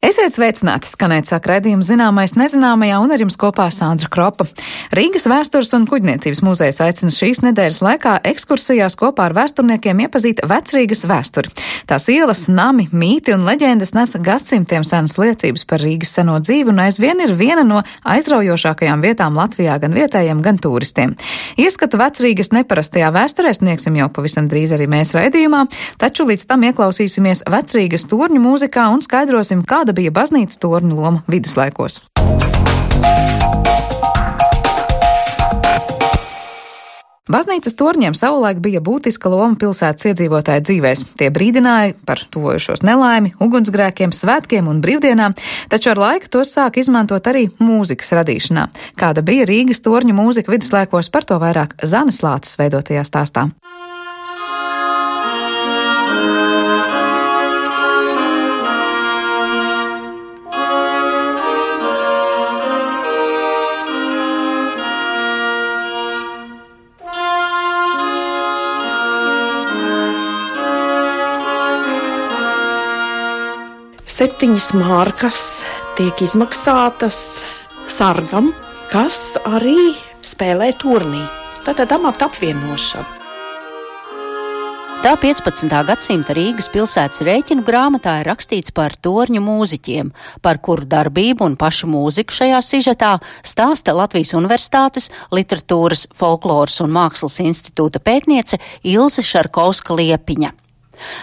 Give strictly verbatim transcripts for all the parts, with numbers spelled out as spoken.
Esiet sveicināti, skanēt sāk raidījums Zināmais nezināmajā, un ar jums kopā Sandra Kropa. Rīgas vēstures un kuģniecības muzejs aicina šīs nedēļas laikā ekskursijās kopā ar vēsturniekiem iepazīt Vecrīgas vēsturi. Tās ielas, nami, mīti un leģendas nes gadsimtiem senas liecības par Rīgas seno dzīvi un aizvien ir viena no aizraujošākajām vietām Latvijā gan vietējiem, gan turistiem. Ieskatu Vecrīgas neparastajā vēsturē sniegsim jau pavisam drīz arī mēs raidījumā, taču līdz tam ieklausīsimies Vecrīgas torņu mūzikā un skaidrosim, kāda bija baznīcas torņu loma viduslaikos. Baznīcas torņiem savulaik bija būtiska loma pilsētas iedzīvotāju dzīvēs. Tie brīdināja par tuvojušos nelaimi, ugunsgrēkiem, svētkiem un brīvdienām, taču ar laiku tos sāk izmantot arī mūzikas radīšanā. Kāda bija Rīgas torņu mūzika viduslaikos, par to vairāk Zanes Lāces veidotajā stāstā. Septiņas markas tiek izmaksātas sargam, kas arī spēlē turnī. Tātad amata apvienošana. Tā piecpadsmitā gadsimta Rīgas pilsētas rēķinu grāmatā ir rakstīts par torņu mūziķiem, par kuru darbību un pašu mūziku šajā sižetā stāsta Latvijas Universitātes Literatūras, folkloras un mākslas institūta pētniece Ilze Šarkovska-Liepiņa.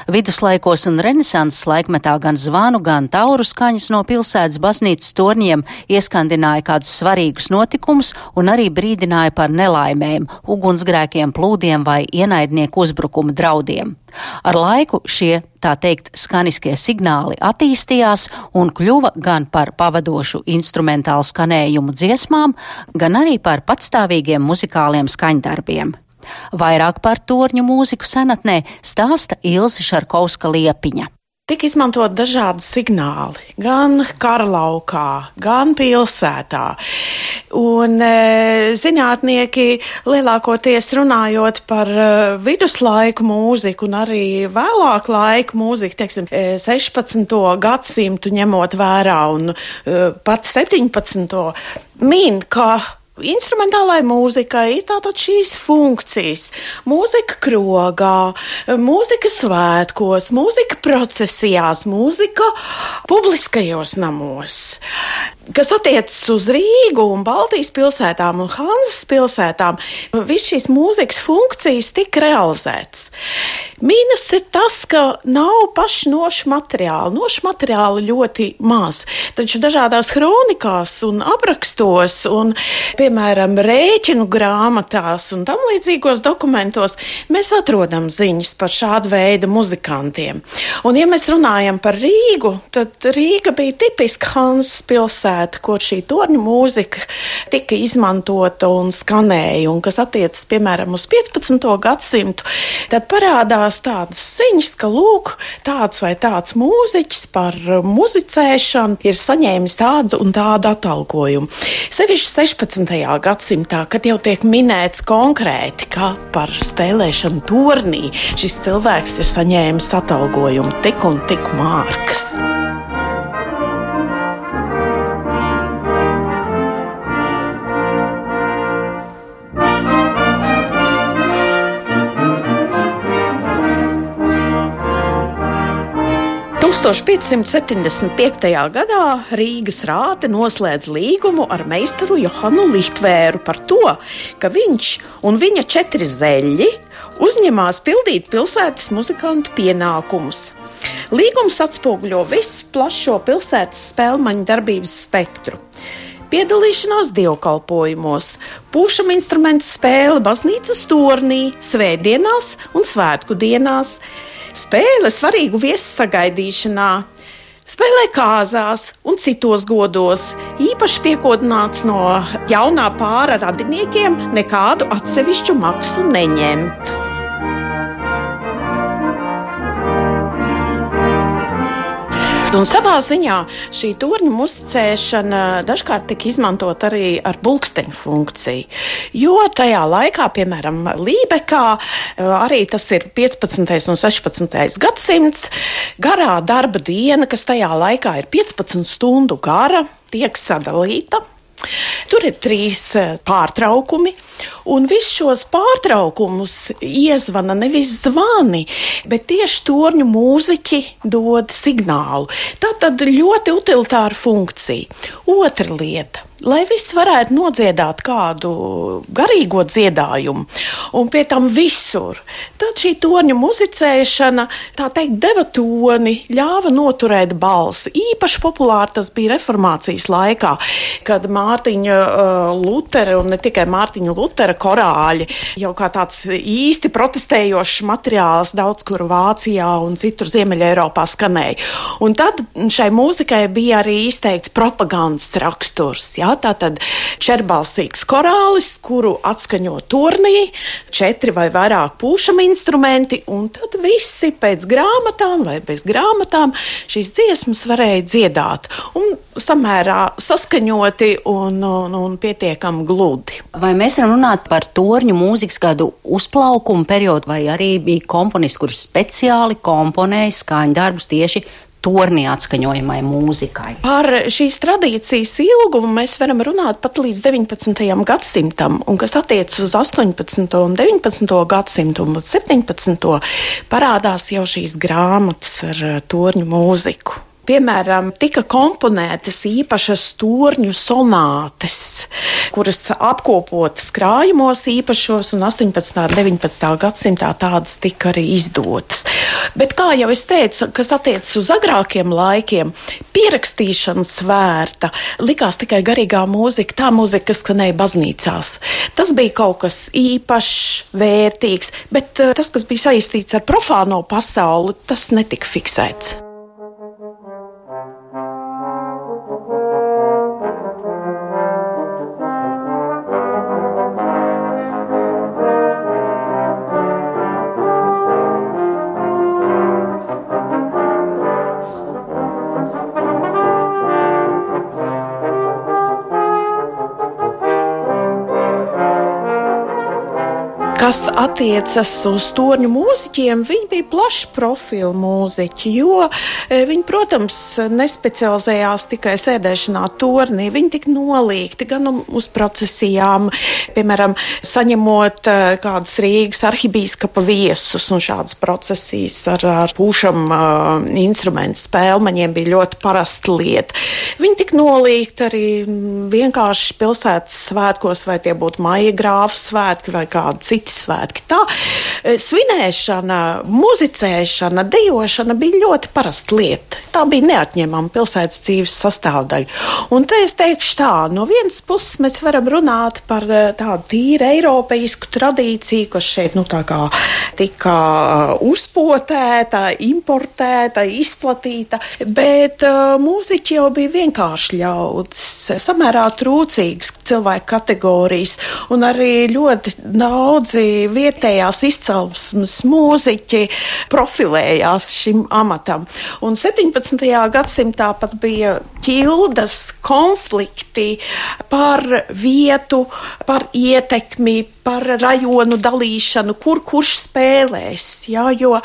Viduslaikos un renesanses laikmetā gan zvanu, gan tauru skaņas no pilsētas baznīcas torņiem ieskandināja kādus svarīgus notikumus un arī brīdināja par nelaimēm, ugunsgrēkiem, plūdiem vai ienaidnieku uzbrukuma draudiem. Ar laiku šie, tā teikt, skaniskie signāli attīstījās un kļuva gan par pavadošu instrumentālu skanējumu dziesmām, gan arī par patstāvīgiem muzikāliem skaņdarbiem. Vairāk par torņu mūziku senatnē stāsta Ilze Šarkovska-Liepiņa. Tik izmantot dažādi signāli, gan karalaukā, gan pilsētā. Un e, zinātnieki lielākoties runājot par e, viduslaiku mūziku un arī vēlāk laiku mūziku, teiksim, e, sešpadsmito gadsimtu ņemot vērā un e, pat septiņpadsmito min, ka instrumentālai mūzikai ir tātad šīs funkcijas. Mūzika krogā, mūzika svētkos, mūzika procesijās, mūzika publiskajos namos. Kas attiecas uz Rīgu un Baltijas pilsētām un Hanzas pilsētām, viss šīs mūzikas funkcijas tika realizētas. Mīnus ir tas, ka nav paši nošu materiāli. Nošu materiāli ļoti maz, taču dažādās kronikās un aprakstos un, piemēram, rēķinu grāmatās un tam līdzīgos dokumentos mēs atrodam ziņas par šādu veidu muzikantiem. Un, ja mēs runājam par Rīgu, tad Rīga bija tipiska Hanzas pilsēta, kur šī torņu mūzika tika izmantota un skanēja, un kas attiecas, piemēram, uz piecpadsmito gadsimtu, tad parādās tādas ziņas, ka lūk, tāds vai tāds mūziķis par muzicēšanu ir saņēmis tādu un tādu atalgojumu. Sevišķi sešpadsmitajā gadsimtā, kad jau tiek minēts konkrēti, ka par spēlēšanu tornī šis cilvēks ir saņēmis atalgojumu tik un tik mārkas. tūkstoš piecsimt septiņdesmit piektajā gadā Rīgas rāte noslēdz līgumu ar meistaru Johanu Lihtvēru par to, ka viņš un viņa četri zeļļi uzņemās pildīt pilsētas muzikantu pienākumus. Līgums atspoguļo visu plašo pilsētas spēlmaņu darbības spektru. Piedalīšanās dievkalpojumos, pūšam instrumentu spēle baznīcas tornī, svētdienās un svētku dienās, spēle svarīgu viesu sagaidīšanā, spēlē kāzās un citos godos, īpaši piekodināts no jaunā pāra radiniekiem nekādu atsevišķu maksu neņemt. No Un savā ziņā šī torņa muzicēšana dažkārt tika izmantot arī ar bulksteņu funkciju, jo tajā laikā, piemēram, Lībekā, arī tas ir piecpadsmitais un sešpadsmitais gadsimts, garā darba diena, kas tajā laikā ir piecpadsmit stundu gara, tiek sadalīta. Tur ir trīs pārtraukumi, un visus šos pārtraukumus iezvana nevis zvani, bet tieši torņu mūziķi dod signālu. Tā tad ļoti utilitāra funkcija. Otra lieta. Lai viss varētu nodziedāt kādu garīgo dziedājumu, un pie tam visur, tad šī torņa muzicēšana, tā teikt, deva toni, ļāva noturēt balsi. Īpaši populāri tas bija reformācijas laikā, kad Mārtiņa uh, Lutera, un ne tikai Mārtiņa Lutera korāļi, jau kā tāds īsti protestējošs materiāls daudz kur Vācijā un citur Ziemeļa Eiropā skanēja. Un tad šai mūzikai bija arī izteikts propagandas raksturs, jā. Tātad čerbalsīgs korālis, kuru atskaņo tornī, četri vai vairāk pūšami instrumenti, un tad visi pēc grāmatām vai bez grāmatām šīs dziesmas varēja dziedāt. Un samērā saskaņoti un, un, un pietiekami gludi. Vai mēs varam runāt par torņu mūzikas kādu uzplaukumu periodu, vai arī bija komponisti, kurš speciāli komponēja skaņdarbus tieši tornī atskaņojamai mūzikai? Par šīs tradīcijas ilgumu mēs varam runāt pat līdz deviņpadsmitajam gadsimtam, un kas attiec uz astoņpadsmito un deviņpadsmito gadsimtu un septiņpadsmito parādās jau šīs grāmatas ar torņu mūziku. Piemēram, tika komponētas īpašas torņu sonātes, kuras apkopotas krājumos īpašos, un astoņpadsmitā un deviņpadsmitā gadsimtā tādas tika arī izdotas. Bet, kā jau es teicu, kas attiecas uz agrākiem laikiem, pierakstīšana svērta, likās tikai garīgā mūzika, tā mūzika, kas skanēja baznīcās. Tas bija kaut kas īpašs, vērtīgs, bet tas, kas bija saistīts ar profāno pasauli, tas netika fiksēts. Kas attiecas uz torņu mūziķiem, viņi bija plaša profila mūziķi, jo viņi, protams, nespecializējās tikai sēdēšanā tornī. Viņi tika nolīgti gan uz procesijām, piemēram, saņemot kādas Rīgas arhibīskapa viesus, un šādas procesijas ar, ar pūšam uh, instrumentu spēlmaņiem bija ļoti parasta lieta. Viņi tika nolīgti arī vienkārši pilsētas svētkos, vai tie būtu maija grāfu svētki vai kādi citi svētki. Tā svinēšana, muzicēšana, dejošana bija ļoti parasta lieta. Tā bija neatņemama pilsētas dzīves sastāvdaļa. Un te es teikšu tā, no vienas puses mēs varam runāt par tādu tīri eiropeisku tradīciju, kas šeit, nu, tā kā tika uzpotēta, importēta, izplatīta, bet uh, mūziķi jau bija vienkārši ļaudis, samērā trūcīgas cilvēku kategorijas, un arī ļoti daudzi vietējās izcelsmes mūziķi profilējās šim amatam. Un septiņpadsmitajā gadsimtā pat bija ķildas konflikti par vietu, par ietekmi, par rajonu dalīšanu, kur kurš spēlēs, jā, jo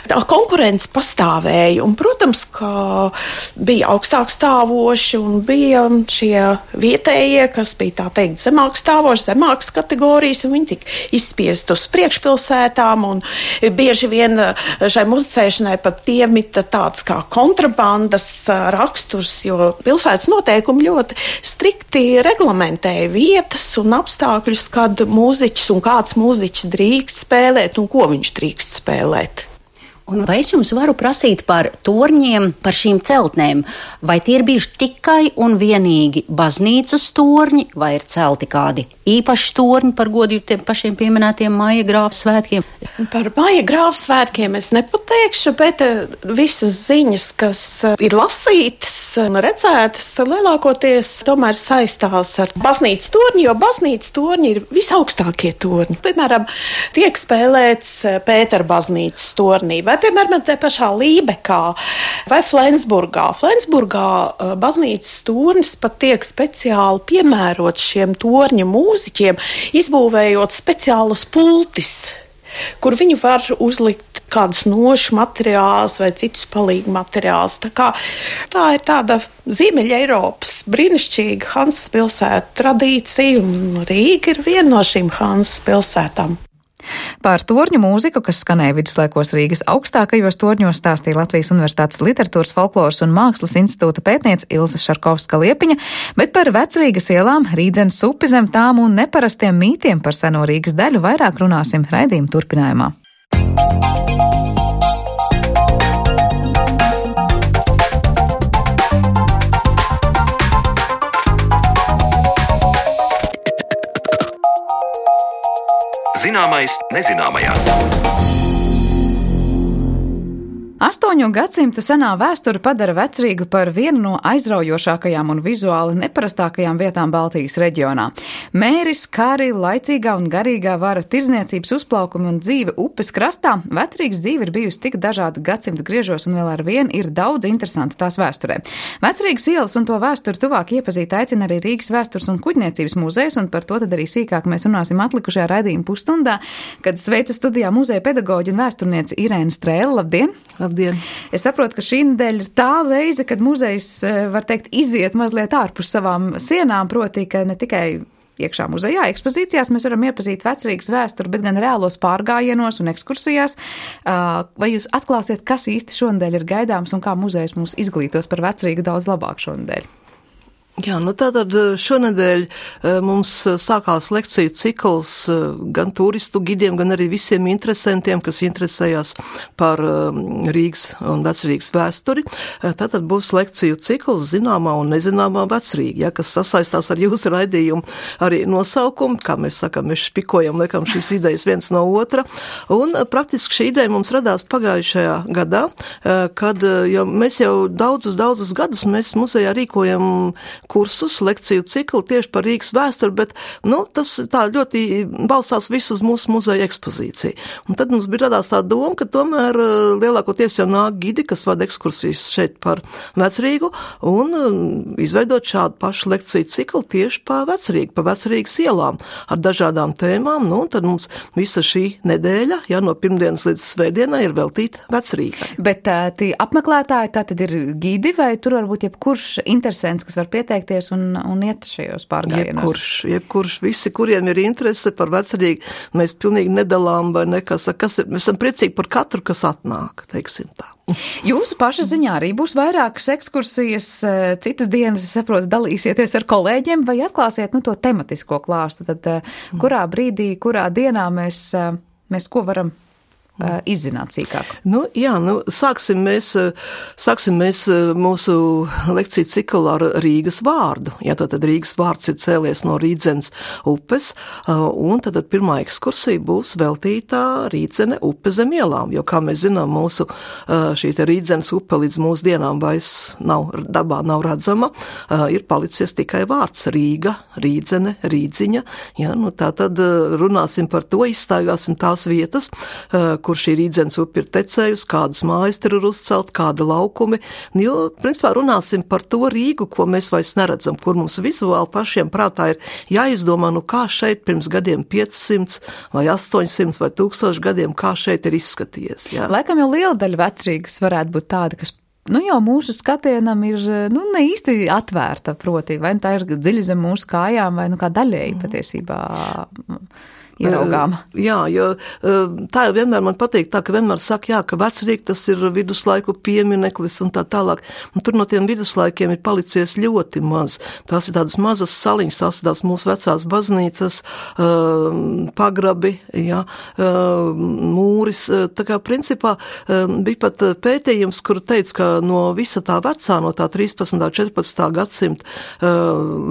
tā konkurence pastāvēja. Un, protams, ka bija augstāk stāvoši un bija šie vietējie, kas bija tā teikt zemāk stāvoši, zemākas kategorijas, un viņi tika izspiest uz priekšpilsētām, un bieži vien šai muzicēšanai pat piemita tāds kā kontrabandas raksturs, jo pilsētas noteikumi ļoti strikti reglamentēja vietas un apstākļus, kad mūziķi un kāds mūziķis drīkst spēlēt un ko viņš drīkst spēlēt. Un vai es jums varu prasīt par torņiem, par šīm celtnēm? Vai tie ir bijuši tikai un vienīgi baznīcas torņi, vai ir celti kādi īpaši torņi par godu tiem pašiem pieminētiem Maija grāfu svētkiem? Par Maija grāfu svētkiem es nepateikšu, bet visas ziņas, kas ir lasītas redzētas lielākoties tomēr saistās ar baznīcas torņu, jo baznīcas torņi ir visaugstākie torņi. Piemēram, tiek spēlēts Pētera baznīcas tornī, vai, piemēram, te pašā Lībekā vai Flensburgā. Flensburgā baznīcas tornis pat tiek speciāli piemērots šiem torņa mūziķiem, izbūvējot speciālus pultis, kur viņi var uzlikt kādus nošu materiālus vai citus palīgu materiālus. Tā kā tā ir tāda Ziemeļa Eiropas brīnišķīga Hansas pilsētu tradīcija, un Rīga ir viena no šīm Hansas pilsētām. Par torņu mūziku, kas skanēja viduslaikos Rīgas augstākajos torņos, stāstīja Latvijas Universitātes Literatūras, folkloras un mākslas institūta pētniece Ilze Šarkovska-Liepiņa, bet par Vecrīgas ielām, Rīdzenes upi zem tām un neparastiem mītiem par seno Rīgas daļu vairāk runāsim raidījuma turpinājumā. Zināmais nezināmajā. Astoņu gadsimtu senā vēsture padara Vecrīgu par vienu no aizraujošākajām un vizuāli neparastākajām vietām Baltijas reģionā. Mēris, kari, laicīgā un garīgā vara, tirdzniecības uzplaukumi un dzīve upes krastā, Vecrīgas dzīve ir bijusi tik dažāda gadsimtu griežos un vēl ar vienu ir daudz interesanti tās vēsturē. Vecrīgas ielas un to vēsturi tuvāk iepazīt aicina arī Rīgas vēstures un kuģniecības muzejs, un par to tad arī sīkāk mēs runāsim atlikušajā raidījuma pusstundā, kad sveicu studijā muzeja pedagoģi un vēsturniece Irēna Strēle. Labdien! Labdien! Es saprotu, ka šī nedēļa ir tā reize, kad muzejs, var teikt, iziet mazliet ārpus savām sienām, proti, ka ne tikai iekšā muzejā, ekspozīcijās mēs varam iepazīt Vecrīgas vēsturi, bet gan reālos pārgājienos un ekskursijās. Vai jūs atklāsiet, kas īsti šonedēļ ir gaidāms un kā muzejs mūs izglītos par Vecrīgu daudz labāk šonedēļ? Jā, nu tātad šonedēļ mums sākās lekciju cikls gan turistu gidiem, gan arī visiem interesantiem, kas interesējās par Rīgas un Vecrīgas vēsturi. Tātad būs lekciju cikls zināmā un nezināmā Vecrīga, ja, kas sasaistās ar jūsu raidījumu arī nosaukumu, kā mēs sakam, mēs špikojam, liekam šīs idejas viens no otra. Un praktiski šī ideja mums radās pagājušajā gadā, kad jau mēs jau daudzus, daudzus gadus mēs muzejā rīkojam kursus, lekciju ciklu tieši par Rīgas vēsturi, bet, nu, tas tā ļoti balstās visu uz mūsu muzeja ekspozīciju. Un tad mums bija radās tā doma, ka tomēr lielākoties jau nāk gidi, kas vada ekskursijas šeit par Vecrīgu, un izveidot šādu pašu lekciju ciklu tieši pa Vecrīgu, pa Vecrīgas ielām ar dažādām tēmām, nu, un tad mums visa šī nedēļa, ja no pirmdienas līdz svētdienai ir veltīta Vecrīgai. Bet tie apmeklētāji, tā tad ir gidi, vai tur varbūt jebkurš interesants, kas var pieteikt un, un iet šajos pārgājienos? Jebkurš, jebkurš, visi, kuriem ir interese par Vecrīgu, mēs pilnīgi nedalām vai nekas, kas ir, mēs esam priecīgi par katru, kas atnāk, teiksim tā. Jūsu paša ziņā arī būs vairākas ekskursijas, citas dienas, es saprotu, dalīsieties ar kolēģiem vai atklāsiet, nu, to tematisko klāstu, tad kurā brīdī, kurā dienā mēs, mēs ko varam izzināt sīkāk? Nu, jā, nu, sāksim mēs, sāksim mēs mūsu lekciju ciklu ar Rīgas vārdu. Jā, tad Rīgas vārds ir cēlies no Rīdzenes upes, un tad pirmā ekskursija būs veltītā Rīdzene upe zem ielām, jo, kā mēs zinām, mūsu šī te Rīdzenes upe līdz mūsu dienām vairs nav, dabā nav redzama, ir palicies tikai vārds Rīga, Rīdzene, Rīdziņa. Jā, nu, tā tad runāsim par to, izstaigāsim tās vietas, kur šī Rīdzenes upe ir tecējusi, kādas mājas tur ir uzcelt, kāda laukumi, jo, principā, runāsim par to Rīgu, ko mēs vairs neredzam, kur mums vizuāli pašiem prātā ir jāizdomā, nu kā šeit pirms gadiem piecsimt vai astoņsimt vai tūkstoši gadiem, kā šeit ir izskatījies. Jā. Laikam jau liela daļa Vecrīgas varētu būt tāda, kas, nu jau mūsu skatienam ir, nu, ne īsti atvērta, proti, vai tā ir dziļi zem mūsu kājām, vai, nu, kā daļēji patiesībā ieraugām. Jā, jo tā jau vienmēr man patīk, tā, ka vienmēr saka, jā, ka Vecrīga tas ir viduslaiku piemineklis un tā tālāk. Un tur no tiem viduslaikiem ir palicies ļoti maz. Tās ir tādas mazas saliņas, tās ir tās mūsu vecās baznīcas, pagrabi, jā, mūris. Tā kā principā bija pat pētījums, kur teica, ka no visa tā vecā, no tā trīspadsmitā, četrpadsmitā gadsimta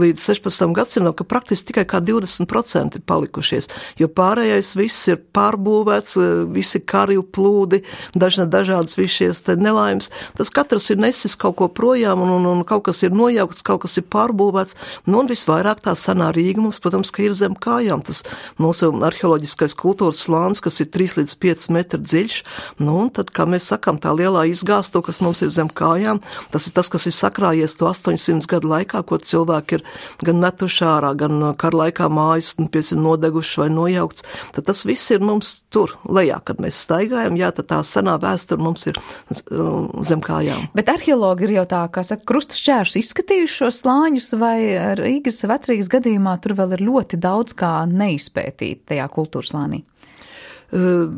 līdz sešpadsmitam gadsimtam, ka praktiski tikai kā divdesmit procenti ir palikušies. jo pārējais viss ir pārbūvēts, visi karju plūdi, dažna, dažādas visi šies te nelaimes. Tas katrs ir nesis kaut ko projām, un, un, un kaut kas ir nojaukts, kaut kas ir pārbūvēts, nu un visvairāk tā senā Rīga mums, protams, ka ir zem kājām. Tas mūsu arheoloģiskais kultūras slānis, kas ir trīs līdz pieci metri dziļš, nu un tad, kā mēs sakam, tā lielā izgāsto, kas mums ir zem kājām, tas ir tas, kas ir sakrājies to astoņsimt gadu laikā, ko cilvēki ir gan metuši ārā, gan kara laikā mājas, piesim, nodeguši vai nojaukts, tad tas viss ir mums tur lejā, kad mēs staigājam, jā, tad tā senā vēsture mums ir zem kājām. Bet arheologi ir jau tā, kā saka, krusta šķēršus izskatījuši šos slāņus, vai Rīgas, Vecrīgas gadījumā tur vēl ir ļoti daudz kā neizpētīt tajā kultūrslānī? Uh,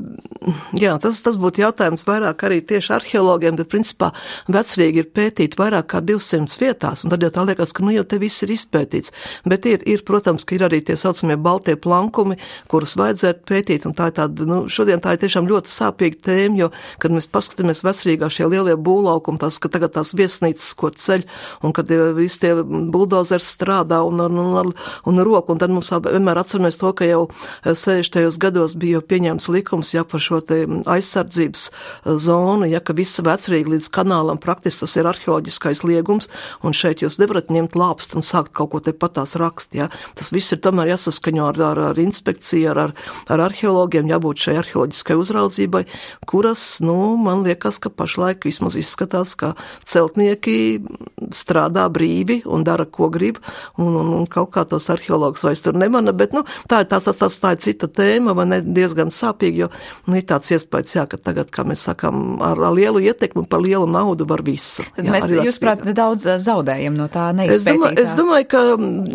jā, tas, tas būtu jautājums vairāk arī tieši arheologiem, bet principā Vecrīga ir pētīta vairāk kā divsimtas vietās, un tad jau tā liekas, ka nu jau te viss ir izpētīts. Bet ir, ir, protams, ka ir arī tie saucamie baltie plankumi, kurus vajadzētu pētīt, un tā ir tāda, nu, šodien tā ir tiešām ļoti sāpīga tēma, jo, kad mēs paskatāmies Vecrīgā šie lielie būvlaukumi, tās, ka tagad tās viesnīcas, ko ceļ, un kad visi tie buldozers strādā un ar, un ar, un ar roku, un tad mums vienmēr atceramies to, ka jau sešdesmitajos gados bija jau pieņemts likums, ja par šo te aizsardzības zonu, ja ka visa Vecrīga līdz kanālam praktiski tas ir arheoloģiskais liegums, un šeit jūs nevarat ņemt lāpst un sākt kaut ko te patās rakst, ja. Tas viss ir tomēr jāsaskaņo ar, ar, ar inspekciju, ar, ar, ar arheologiem, jābūt šai arheoloģiskai uzraudzībai, kuras, nu, man liekas, ka pašlaik vismaz izskatās, ka celtnieki strādā brīvi un dara, ko grib, un, un, un kaut kā tos arheologus vairs tur nemana, bet, nu, tā ir, tā, tā, tā, tā ir cita tēma, vai ne, diezgan sāpīgi, jo, nu, ir tāds iespējas, jā, ka tagad, kā mēs sakam, ar, ar lielu ietekmi par lielu naudu var visu. Tad jā, mēs, jūs prāt, daudz zaudējam no tā neizpētītā. Es domāju, es domāju, ka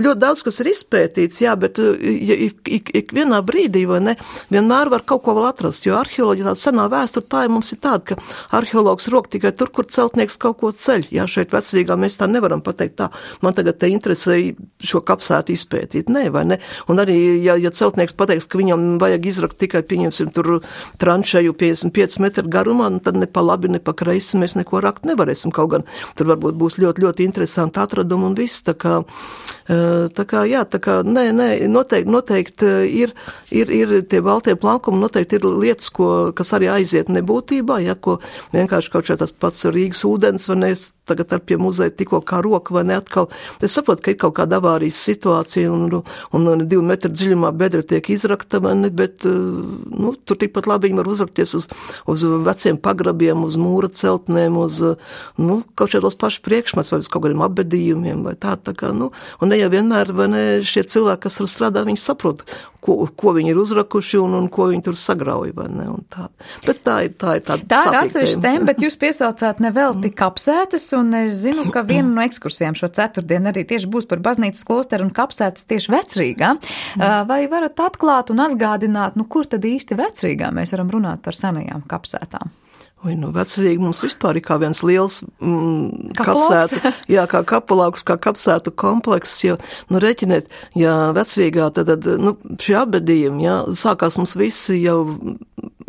ļoti daudz, kas ir izpētīts, jā, bet ja, ik, ik, ik vienā brīdī, vai ne, vienmēr var kaut ko vēl atrast, jo arheoloģija tāda senā vēsture, tā ir mums ir tāda, ka arheologs rok tikai tur, kur celtnieks kaut ko ceļ. Jā, šeit Vecrīgā mēs tā nevaram pateikt tā, man tagad te interesē šo kapsētu izpētīt, ne, vai ne? Un arī, ja, ja celtnieks pateiks, ka viņam vajag izrakt tikai pieņemsim tur tranšeju piecdesmit pieci metri garumā, nu tad ne pa labi, ne pa kreisi mēs neko rakt nevarēsim, kaut gan tur varbūt būs ļoti, ļoti interesanti atradumi un viss, tā kā, tā kā, jā, tā kā, nē, nē, noteikti, noteikti ir, ir, ir tie baltie plankumi, noteikti ir lietas, ko, kas arī aiziet nebūtībā, ja, ko vienkārši kaut šeit tas pats Rīgas ūdens, vai ne, tagad ar pie muzeja tikko kā roka, vai ne, atkal, es saprotu, ka ir kaut kāda avārijas situācija, un, un, un divu metru dziļumā bedra tiek izrakta, vai ne, bet, nu, tur tikpat labi viņi var uzrakties uz, uz veciem pagrabiem, uz mūra celtnēm, uz, nu, kaut šādos paši priekšmets, vai uz kaut kādiem apbedījumiem, vai tā, tā kā, nu, un ne jau vienmēr, vai ne, šie cilvēki, kas tur strādā, viņi saprot, ko, ko viņi ir uzrakuši un, un ko viņi tur sagrauj, vai ne, un tā. Bet tā ir, tā ir tāda tā ir atsevišķa tēma, bet jūs piesaucāt nevelti kapsētas, un es zinu, ka viena no ekskursijām šo ceturtdienu arī tieši būs par baznīcas klosteru un kapsētas tieši Vecrīgā. Vai varat atklāt un atgādināt, nu, kur tad īsti Vecrīgā mēs varam runāt par senajām kapsētām? Vai nu Vecrīga mums vispār ir kā viens liels mm, kapsētu, jā, kā kapulauks, kā kapsētu komplekss, jo, nu, reķiniet, ja Vecrīgā, tad, tad nu, šie apbedījumi, jā, sākās mums visi jau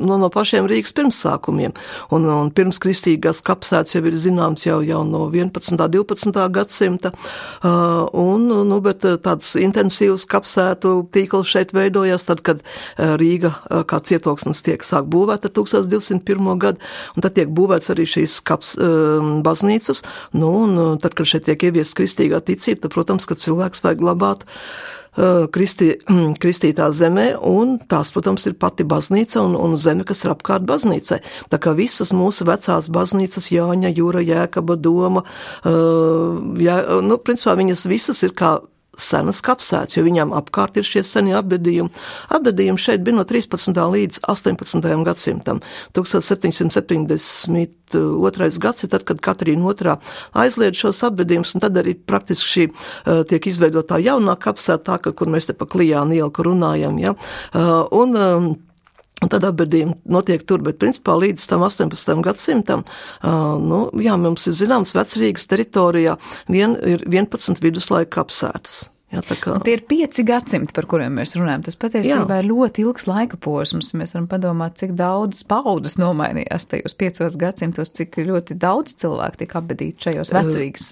no, no pašiem Rīgas pirmsākumiem, un, un pirms kristīgās kapsētas jau ir zināms jau, jau no vienpadsmitā, divpadsmitā gadsimta, uh, un, nu, bet tāds intensīvs kapsētu tīkls šeit veidojās tad, kad uh, Rīga uh, kā cietoksnis tiek sāk būvēt ar tūkstoš divsimt pirmo gadu, un tad tiek būvēts arī šīs kaps, um, baznīcas, nu, un tad, kad šeit tiek ieviest kristīgā ticība, tad, protams, ka cilvēks vajag glabāt uh, kristi, kristītā zemē, un tās, protams, ir pati baznīca un, un zeme, kas ir apkārt baznīcai. Tā kā visas mūsu vecās baznīcas, Jāņa, Jūra, Jēkaba, Doma, uh, jā, nu, principā viņas visas ir kā senas kapsētas, jo viņām apkārt ir šie senie apbedījumi. Apbedījumi šeit bija no trīspadsmitā līdz astoņpadsmitajam gadsimtam. tūkstoš septiņsimt septiņdesmit otrais gads ir tad, kad Katrīna otrā aizliedz šos apbedījumus, un tad arī praktiski šī uh, tiek izveidotā jaunā kapsēta, tā, kur mēs te pa Klijānu ielu, kur runājam, ja. Uh, un, um, Un tad apbedījumi notiek tur, bet principā līdz tam astoņpadsmitajam gadsimtam, uh, nu, jā, mums ir zināms, Vecrīgas teritorijā vien, ir vienpadsmit viduslaika kapsētas. Jā, tā kā... Tie ir pieci gadsimti, par kuriem mēs runājam. Tas patiesībā ir ļoti ilgs laika posms. Mēs varam padomāt, cik daudz paudzes nomainījās tajos piecos gadsimtos, cik ļoti daudz cilvēku tika apbedīti šajos Vecrīgas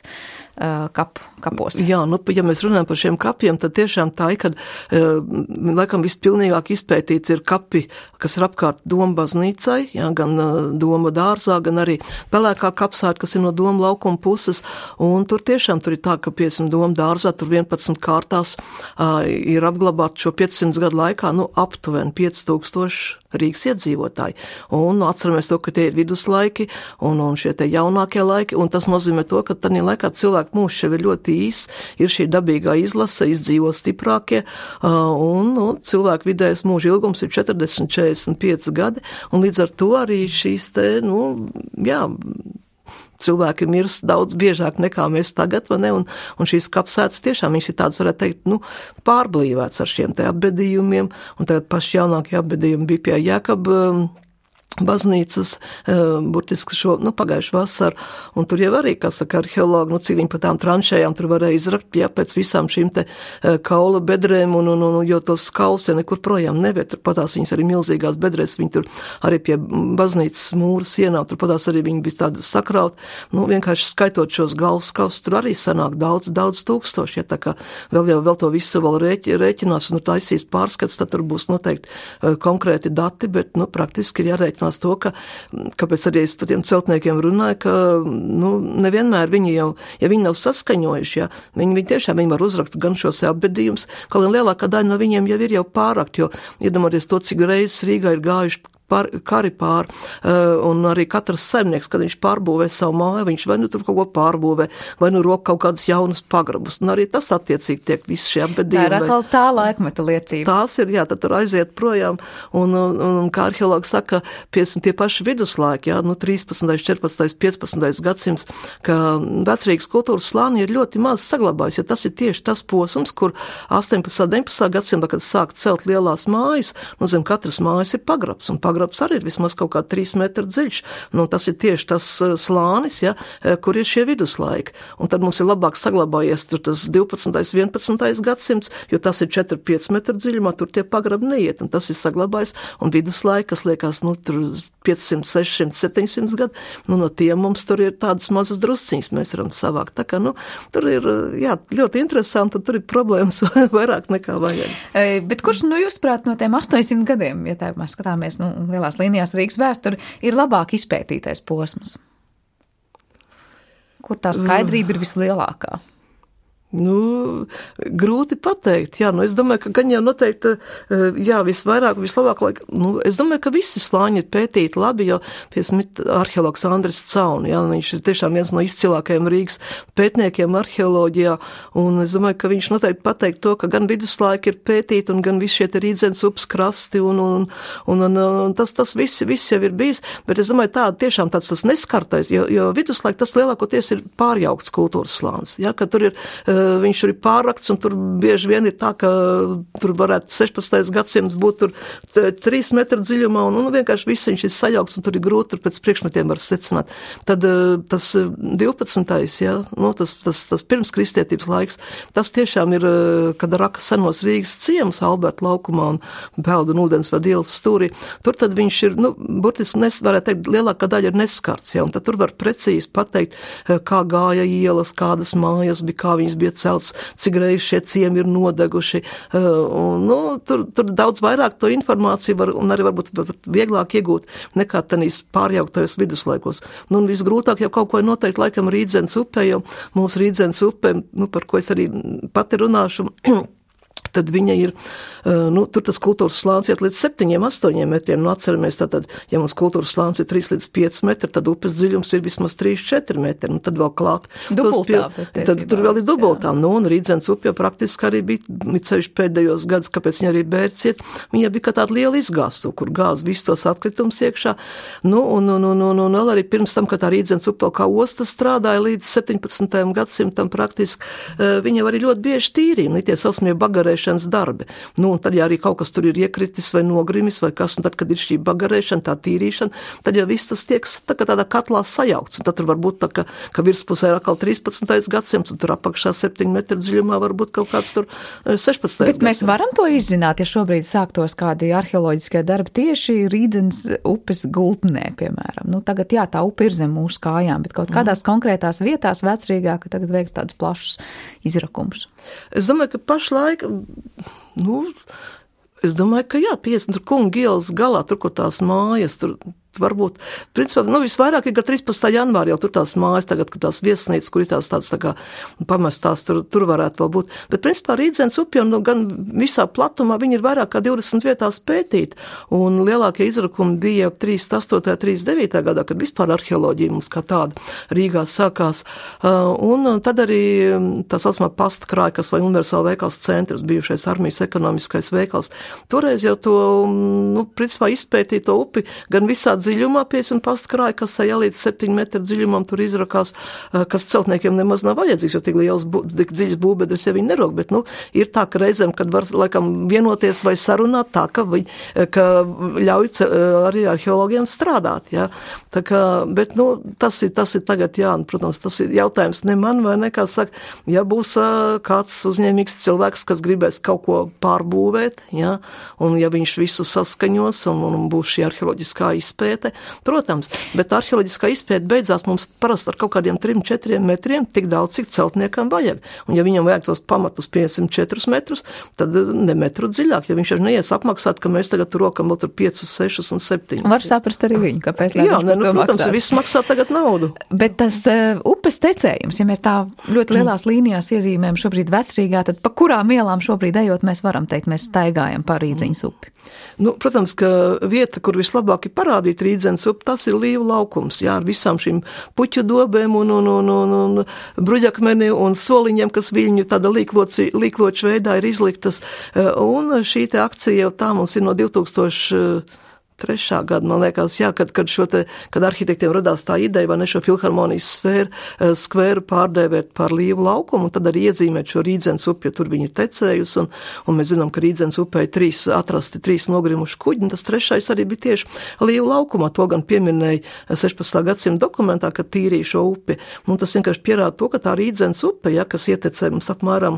kapu, kapos. Jā, nu, ja mēs runājam par šiem kapiem, tad tiešām tā ir, kad laikam vispilnīgāk izpētīts ir kapi, kas ir apkārt Doma baznīcai, jā, gan Doma dārzā, gan arī pelēkā kapsēta, kas ir no Doma laukuma puses, un tur tiešām tur ir tā, ka, piemēram, Doma dārzā tur vienpadsmit kārtās uh, ir apglabāt šo piecsimt gadu laikā, nu, aptuveni pieci tūkstoši Rīgas iedzīvotāji. Un atceramies to, ka tie ir viduslaiki un, un šie te jaunākie laiki, un tas nozīmē to, ka tādā laikā cilvēku mūžs jau ir ļoti īs, ir šī dabīgā izlase, izdzīvo stiprākie, un nu, cilvēku vidējais mūža ilgums ir četrdesmit līdz četrdesmit pieci gadi, un līdz ar to arī šīs te, nu, jā, cilvēki mirst daudz biežāk nekā mēs tagad, vai ne, un, un šīs kapsētas tiešām viņas ir tādas, varētu teikt, nu, pārblīvēts ar šiem te apbedījumiem, un tagad paši jaunākie apbedījumi bija pie Jākaba baznīcas, burtiski šo, nu, pagājušu vasaru, un tur jau arī, kā saka arheologi, nu, cik viņi pa tām tranšējām tur varēja izrakt, jā, pēc visām šīm te kaula bedrēm, un, un, un jo tos kauls jau nekur projām neviet, tur patās viņas arī milzīgās bedrēs, viņi tur arī pie baznīcas mūra sienām, tur patās arī viņi bija tādi sakraut, nu, vienkārši skaitot šos galvaskaus, tur arī sanāk daudz, daudz tūkstoši, ja, tā kā vēl jau vēl to visu vēl rēķi, rēķinās, un nu, taisīs pārskats, tad tur būs noteikti uh, konkrēti dati, bet, nu, praktiski ir jārēķinās to, ka, kāpēc arī es par tiem celtniekiem runāju, ka, nu, nevienmēr viņi jau, ja viņi nav saskaņojuši, ja, viņi, viņi tiešām viņi var uzrakt gan šos apbedījumus, kaut gan lielākā daļa no viņiem jau ir jau pārakt, jo iedomāties to, cik reizes Rīgā ir gājuši Pār, kari pār, un arī katrs saimnieks, kad viņš pārbūvē savu māju, viņš vai nu tur kaut ko pārbūvē, vai nu rok kaut kādas jaunas pagrabus, un arī tas attiecīgi tiek visi šie apbedījumi. Tā ir atkal tā laikmeta liecība. Tās ir, jā, tad tur aiziet projām, un, un, un kā arheologi saka, piemēram, tie paši viduslaiki, jā, nu, trīspadsmitais, četrpadsmitais, piecpadsmitais gadsimts, ka vecrīgas kultūras slāni ir ļoti maz saglabājis, jo tas ir tieši tas posms, kur astoņpadsmitā, deviņpadsmitā gadsimtā, kad sāk celt lielās mājas, nu, zem katras mājas ir pagrabs, un pagrabs arī ir vismaz kaut kā trīs metru dziļš. Nu, tas ir tieši tas slānis, ja, kur ir šie viduslaiki. Un tad mums ir labāk saglabājies tur tas divpadsmitais, vienpadsmitais gadsimts, jo tas ir četri pieci metru dziļumā, tur tie pagrabi neiet, un tas ir saglabājis. Un viduslaiki, kas liekas, nu, tur piecsimt, sešsimt, septiņsimt gadu, nu, no tiem mums tur ir tādas mazas drusciņas, mēs varam savākt. Tā kā, nu, tur ir, jā, ļoti interesanti, tur ir problēmas vairāk nekā vajag. Bet kurš, nu, jūs prāt, no tiem astoņsimt gadiem, ja tā mēs skatāmies, nu, lielās līnijās Rīgas vēsturi, ir labāk izpētītais posms? Kur tā skaidrība ir vislielākā? Nu, grūti pateikt, jā, nu, es domāju, ka gan jau noteikti, jā, visvairāk, vislabāk, lai, nu, es domāju, ka visi slāņi ir pētīti labi, jo, piemēram, arheologs Andris Cauni, jā, viņš ir tiešām viens no izcilākajiem Rīgas pētniekiem arheoloģijā, un es domāju, ka viņš noteikti pateikt to, ka gan viduslaiki ir pētīti, un gan visi šie te Rīdzenes upes krasti, un, un, un, un, un tas, tas visi, visi jau ir bijis, bet es domāju, tā tiešām tāds tas neskartais, jo, jo viduslaiki tas lielākoties ir pārjaukts kultūras slānis, jā, ka tur ir viņš tur ir pārrakts, un tur bieži vien ir tā, ka tur varētu sešpadsmitais gadsimts būt tur trīs metru dziļumā, un, un vienkārši viss viņš ir sajaukts, un tur ir grūti tur pēc priekšmetiem var secināt. Tad tas divpadsmitais, jā, nu, tas, tas, tas pirms kristietības laiks, tas tiešām ir, kad raka senos Rīgas ciemas Alberta laukumā un Peldu un ūdensvada ielas stūrī, tur tad viņš ir, nu, burtiski nes, varētu teikt, lielākā daļa ir neskarts, jā, un tad tur var precīzi pateikt, kā gāja ielas, kādas mājas bija, kā viņas bija celts, cik reiz šie ciemi ir nodeguši. Un, nu, tur, tur daudz vairāk to informāciju var, un arī varbūt var vieglāk iegūt nekā tanīs pārjauktajos viduslaikos. Nu, un visgrūtāk jau kaut ko ir noteikti laikam Rīdzenes upē, jo mūsu Rīdzenes upē, nu, par ko es arī pati runāšu, tad viņa ir, nu, tur tas kultūras slāns iet līdz septiņiem, astoņiem metriem. Nu, atceramies, tātad, ja mums kultūras slāns ir trīs līdz pieci metri, tad upes dziļums ir vismaz trīs četri metri. Nu, tad vēl klāt. Dubultā. Pie, tad tur vēl ir dubultā. Nu, un Rīdzenes upe jau praktiski arī bija ceļš pēdējos gadus, kāpēc viņa arī bērts iet. Viņa bija kā tāda liela izgāstu, kur gāz visus tos atkritums iekšā. Nu, un, un, un, un, un vēl arī pirms tam, kad tā Rīdzenes upe kā osta strādāja līdz septiņpadsmitajam gadsimtam praktiski, viņa arī ļoti bieži tīrīja. Nu, tie sausmie bagarē bagarēšanas darbi. Nu, un tad, ja arī kaut kas tur ir iekritis vai nogrimis vai kas, un tad, kad ir šī bagarēšana, tā tīrīšana, tad jau viss tas tiek tā, tādā katlā sajaukts. Un tad tur var būt tā, ka, ka virspusē ir atkal trīspadsmitais gadsimts, un tur apakšā septiņu metru dziļumā var būt kaut kāds tur sešpadsmitais Bet mēs varam to izzināt, ja šobrīd sāktos kādi arheoloģiskie darbi tieši Rīdzenes upes gultnē, piemēram. Nu, tagad, jā, tā upe ir zem mūsu kājām, bet kaut kādās konkrētās vietās vecrīgā, ka tagad veikt tādus plašus izrakumus. Es domāju, ka pašlaik, nu, es domāju, ka jā, piecdesmit tur Kunga ielas galā, tur, kur tās mājas, tur varbūt, principā, nu, visvairāk ir gar trīspadsmitā janvāri jau tur tās mājas, tagad, kur tās viesnīcas, kur ir tās tāds tā kā pamestās, tur, tur varētu vēl būt. Bet, principā, Rīdzenes upja, nu, gan visā platumā, viņi ir vairāk kā divdesmit vietās pētīt, un lielākie izrakumi bija trīsdesmit astotajā, trīsdesmit devītajā gadā, kad vispār arheoloģija mums kā tāda Rīgā sākās, un tad arī tā saucamā pasta krājkas vai universāla veikals centrs, bijušais armijas ekonomiskais veikals. Toreiz jau to, nu, principā, izpētīja to upi, gan visā dziļumā, piecdesmit pasta krājkasē, ja līdz septiņu metru dziļumam tur izrakās, kas celtniekiem nemaz nav vajadzīgs, jo tik liels, tik dziļas būvbedres, ja viņi nerok, bet, nu, ir tā, ka reizēm, kad var, laikam, vienoties vai sarunāt tā, ka, viņi, ka ļauj arī arheologiem strādāt, jā. Tā kā, bet, nu, tas ir, tas ir tagad, jā, un, protams, tas ir jautājums ne man vai nekā saka, ja būs kāds uzņēmīgs cilvēks, kas gribēs kaut ko pārbūvēt, jā, un ja viņš visu saskaņos, un, un būs šī arheoloģiskā izpēta, protams, bet arheoloģiskā izpēta beidzās mums parasti ar kaut kādiem trim, četriem metriem, tik daudz, cik celtniekam vajag. Un ja viņam vajag tos pamatus piecdesmit četrus metrus, tad ne metru dziļāk, jo viņš jau neies apmaksāt, ka mēs tagad tur rokam vēl tur piecus, sešus un septiņus. Var saprast arī viņu, kāpēc. Jā, ne, nu, protams, maksāt. Viss maksā tagad naudu. Bet tas uh, upes tecējums, ja mēs tā ļoti lielās līnijās iezīmējam šobrīd Vecrīgā, tad pa kurām ielām šobrīd ejot, mēs varam teikt, mēs staigājam pa Rīdzenes upi. Nu, protams, ka vieta, kur vislabāk ir parādīt Rīdzenes upi, tas ir Līvu laukums, jā, ar visām šīm puķu dobēm un, un, un, un, un bruģakmeni un soliņiem, kas viļņu tāda līkloči, līkloču veidā ir izliktas. Un šī te akcija jau tā mums ir no divtūkstoši trešā gada, man liekas, jā, kad, kad, šo te, kad arhitektiem radās tā ideja, vai ne šo filharmonijas sfēru, skvēru pārdēvēt par Līvu laukumu, un tad arī iezīmēt šo Rīdzenes upi, jo tur viņi ir tecējusi, un, un mēs zinām, ka Rīdzenes upē ir trīs atrasti, trīs nogrimuši kuģi, un tas trešais arī bija tieši Līvu laukumā, to gan pieminēja sešpadsmitā gadsimta dokumentā, kad tīrīja šo upi, un tas vienkārši pierāda to, ka tā Rīdzenes upe, ja, kas ietecē mums apmēram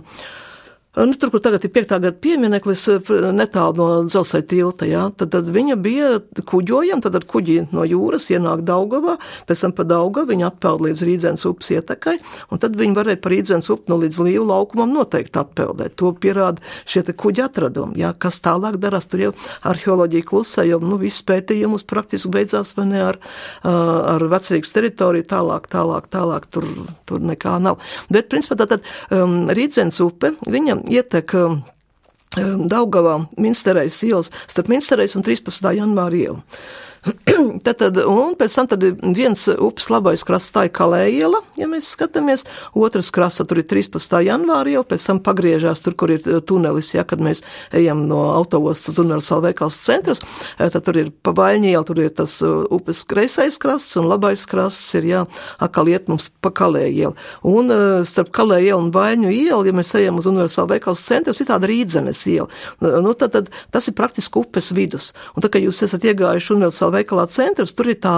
Nu, tur, kur tagad ir piektā gada piemineklis netālu no Dzelzceļa tilta, jā, tad, tad viņa bija kuģojama, tad ar kuģi no jūras ienāk Daugavā, pēc tam pa Daugavu viņa atpeld līdz Rīdzenes upes ietekai, un tad viņi varēja pa Rīdzenes upi no līdz Līvu laukumam noteikti atpeldēt. To pierāda šie te kuģi atradumi, jā, kas tālāk darās, tur jau arheoloģija klusē, jo, nu, viss pētījumus praktiski beidzās, vai ne, ar, ar Vecrīgas teritoriju, tālāk, tālāk, tālāk, tur, tur nekā nav. Bet, principā, tātad um, Rīdzenes upe, viņa ietek Daugavā Minsterejas ielas, starp Minsterejas un trīspadsmitā janvāra ielu. Tad, tad, un pēc tam tad viens upes labais krasts, tā ir Kalē iela, ja mēs skatāmies, otrs krasts, tur ir trīspadsmitā janvāra iela, pēc tam pagriežās tur, kur ir tunelis, ja, kad mēs ejam no autoostas uz universāla veikals centrs, tad tur ir pa Vaļņu ielu, tur ir tas upes kreisais krasts un labais krasts ir, jā, atkal iet mums pa Kalē ielu. Un starp Kalē ielu un Vaļņu ielu, ja mēs ejam uz universāla veikals centrs, ir tāda Rīdzenes iela. Nu, tad, tad tas ir praktiski upes vidus. Un tā, ka jūs esat iegājuši universāla veikalā centrs, tur ir tā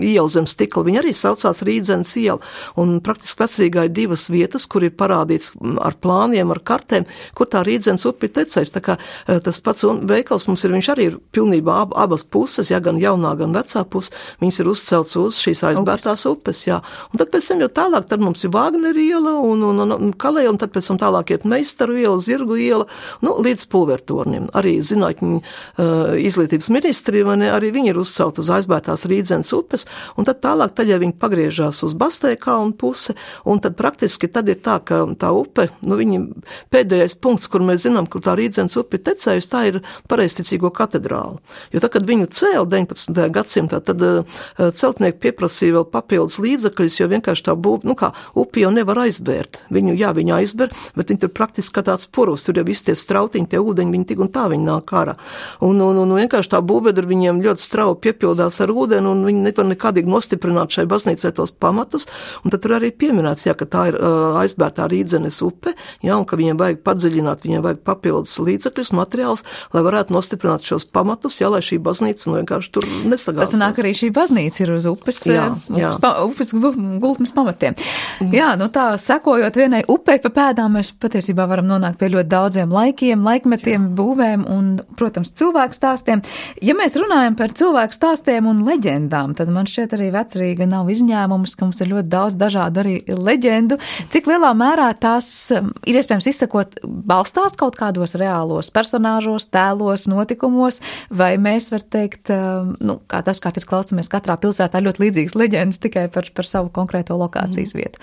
iela zem stikla, viņa arī saucās Rīdzenes iela, un praktiski Vecrīgā ir divas vietas, kur ir parādīts ar plāniem, ar kartēm, kur tā Rīdzenes upe ir tecējis, tā kā tas pats veikals mums ir, viņš arī ir pilnībā ab, abas puses, ja gan jaunā, gan vecā puse, viņas ir uzcelts uz šīs aizbērtās upes, jā, un tad pēc tam jau tālāk, tad mums ir Vāgneri iela un, un, un, un Kalē, un tad pēc tam tālāk iet Meistaru iela, Zirgu iela, nu, līdz Pulvertornim, arī zinātņu uh, izglītības ministri, vai ne, arī viņi ir uzcelt uz aizbērtās Rīdzenes upes, un tad tālāk, tad ja viņi pagriežās uz Bastēja kalnu pusi, un tad praktiski tad ir tā, ka tā upe, nu viņi pēdējais punkts, kur mēs zinām, kur tā Rīdzenes upe ir tecējusi, tā ir Pareizticīgo katedrāla. Jo tad, kad viņu cēla deviņpadsmitajā gadsimtā, tad uh, celtnieki pieprasīja vēl papildus līdzekļus, jo vienkārši tā būva, nu kā, upi jau nevar aizbērt. Viņu, jā, viņa aizber, bet viņi tur praktiski kā tāds purus, tur jau visi tie strautiņi, tie ūdeņi, viņi tik un tā viņi nāk ārā. Un, un, un vienkārši tā būvbedra viņiem ļoti strauji piepildīja piepildās ar ūdeni, un viņi nevar nekādīgi nostiprināt šai baznīcai tos pamatus, un tad tur arī pieminēts, jā, ka tā ir uh, aizbērtā Rīdzenes upe, jā, un ka viņiem vajag padziļināt, viņiem vajag papildus līdzekļus, materiālus, lai varētu nostiprināt šos pamatus, jā, lai šī baznīca nu vienkārši tur nesagāsās. Pēc nāk arī šī baznīca ir uz upes, jā, jā. upes, pa, upes gultnes pamatiem. Mm. Jā, nu tā, sekojot vienai upei pa pēdām, mēs patiesībā varam nonākt pie ļoti daudziem laikiem, laikmetiem, jā. būvēm un, protams, cilvēku stāstiem. Ja mēs runājam par cilvēku stāstiem un leģendām, tad man šķiet arī Vecrīga nav izņēmums, ka mums ir ļoti daudz dažādu arī leģendu. Cik lielā mērā tās ir iespējams izsakot balstās kaut kādos reālos personāžos, tēlos, notikumos, vai mēs var teikt, nu, kā tas, kā ir klausamies katrā pilsētā ļoti līdzīgas leģendas tikai par, par savu konkrēto lokācijas vietu.